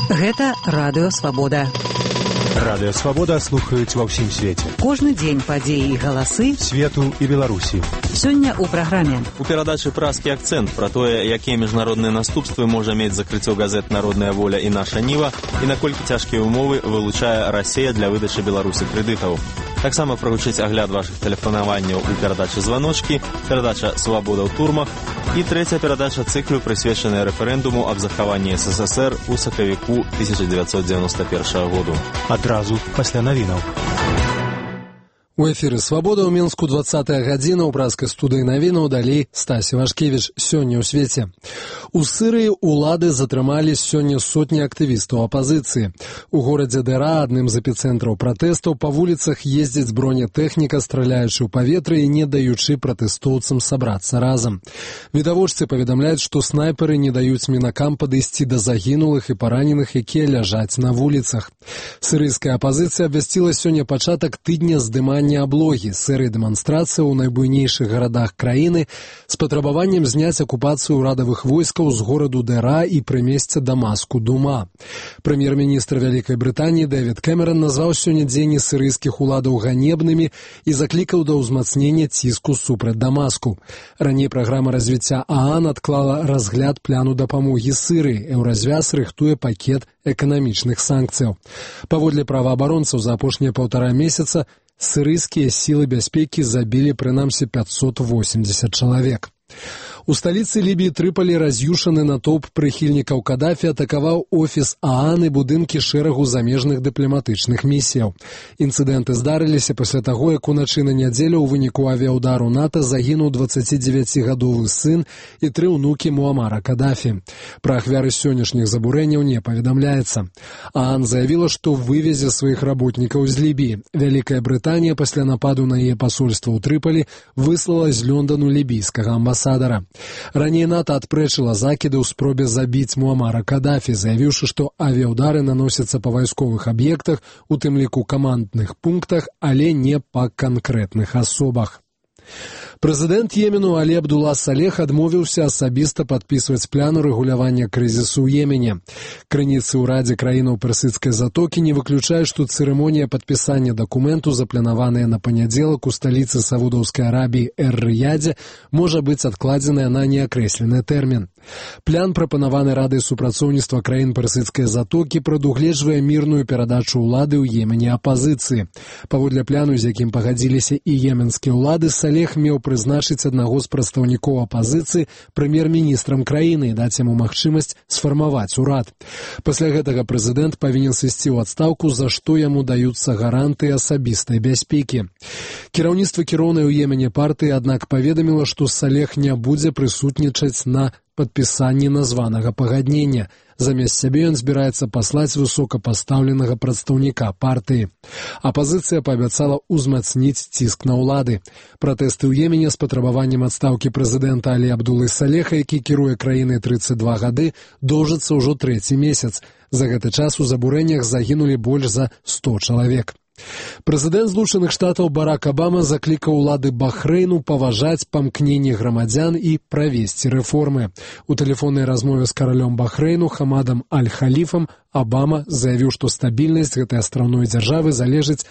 Гэта Радыё Свабода. Радыё Свабода слухаюць ва ўсім свеце. Кожны дзень падзеі і галасы свету і Беларусі. Сёння ў праграме. У перадачы «Празкі акцэнт» пра тое, якія міжнародныя наступствы можа мець закрыццё газет «Народная воля» і «Наша Ніва» і наколькі цяжкія ўмовы вылучае Расія для выдачы Беларусі крэдытаў. Таксама прагучыць агляд вашых тэлефанаванняў у перадачы «Званочкі», перадача «Свабода ў турмах» і трэця перадача цыклю, прысвечаная рэферэндуму аб захаванні СССР у сакавіку 1991 году. Адразу пасля навінаў. У эфіры «Свабода» ў Мінску 20-я гадзіна, ў празкай студыі навінаў далей Стасі Вашкевіч. Сёння ў свеце. У Сірыі улады затрымалі сёння сотні актывістаў апазіцыі. У горадзе Дэра, адным з эпіцэнтраў пратэстаў, па вуліцах ездзіць бронетэхніка, страляючы ў паветра і не даючы пратэстоўцам сабрацца разам. Відавочцы паведамляюць, што снайперы не даюць мінакам падысці да загінулых і параненых, якія ляжаць на вуліцах. Сірыйская апазіцыя абвясціла сёння пачатак тыдня здымання аблогі, серыі дэманстрацыі ў найбуйнейшых гарадах краіны з патрабаваннем зняць акупацыю ўрадавых войскаў з гораду Дэра і прымесця Дамаску Дума. Прэм'ер-міністр Вялікай Брытаніі Дэвід Кэмерон назваў сёння дзеянні сірыйскіх уладаў ганебнымі і заклікаў да ўзмацнення ціску супраць Дамаску. Раней праграма развіцця ААН адклала разгляд пляну дапамогі Сірыі. Еўразвяз рыхтуе пакет эканамічных санкцыяў. Паводле праваабаронцаў, за апошнія 1,5 месяца сірыйскія сілы бяспекі забілі прынамсі 580 чалавек. У сталіцы Лібіі Трыполі раз'юшаны натоўп прыхільнікаў Кадафі атакаваў офіс ААН і будынкі шэрагу замежных дыпламатычных місіяў. Інцыдэнты здарыліся пасля таго, як уначы на нядзелю ў выніку авіяўдару НАТО загінуў 29-гадовы сын і 3 ўнукі Муамара Кадафі. Пра ахвяры сённяшніх забурэнняў не паведамляецца. ААН заявіла, што вывезе сваіх работнікаў з Лібіі. Вялікая Брытанія пасля нападу на яе пасольства ў Трыполі выслала з Лёндану лібійскага амбасадара. Раней НАТО адпрэчыла закіды ў спробе забіць Муамара Кадафі, заявіўшы, што авіяўдары наносяцца па вайсковых аб'ектах, у тым ліку камандных пунктах, але не па канкрэтных асобах. Прэзідэнт Йемену Алі Абдулла Салех адмовіўся асабіста падпісваць план рэгулявання крызісу ў Йемене. Крыніцы ў Радзе краінаў Персідскай затокі не выключаюць, што цырымонія падпісання дакументу, запланаваная на панядзелак у сталіцы Саудаўскай Арабіі Эр-Рыядзе, можа быць адкладзеная на неакрэслены тэрмін. План, прапанаваны Радай супрацоўніцтва краін Персідскай затокі, прадугледжвае мірную перадачу ўлады ў Йемене апазіцыі. Паводле пляну, з якім пагадзіліся і йеменскія ўлады, Салех меў прызначыць аднаго з прадстаўнікоў апазіцыі прэм'ер-міністрам краіны і даць яму магчымасць сфармаваць урад. Пасля гэтага прэзідэнт павінен сысці ў адстаўку, за што яму даюцца гарантыі асабістай бяспекі. Кіраўніцтва кіроўнай у Йемене партыі, аднак, паведаміла, што Салех не будзе прысутнічаць на падпісанні названага пагаднення. Замест сябе ён збіраецца паслаць высокапастаўленага прадстаўніка партыі. Апазіцыя паабяцала ўзмацніць ціск на ўлады. Пратэсты ў Йемене з патрабаваннем адстаўкі прэзідэнта Алі Абдуллы Салеха, які кіруе краінай 32 гады, доўжыцца ўжо 3-й месяц. За гэты час у забурэннях загінулі больш за 100 чалавек. Прэзідэнт Злучаных Штатаў Барак Абама заклікаў улады Бахрэйну паважаць памкненні грамадзян і правесці рэформы. У тэлефоннай размове з каралём Бахрэйну Хамадам Аль-Халіфам Абама заявіў, што стабільнасць гэтай астраўной дзяржавы залежыць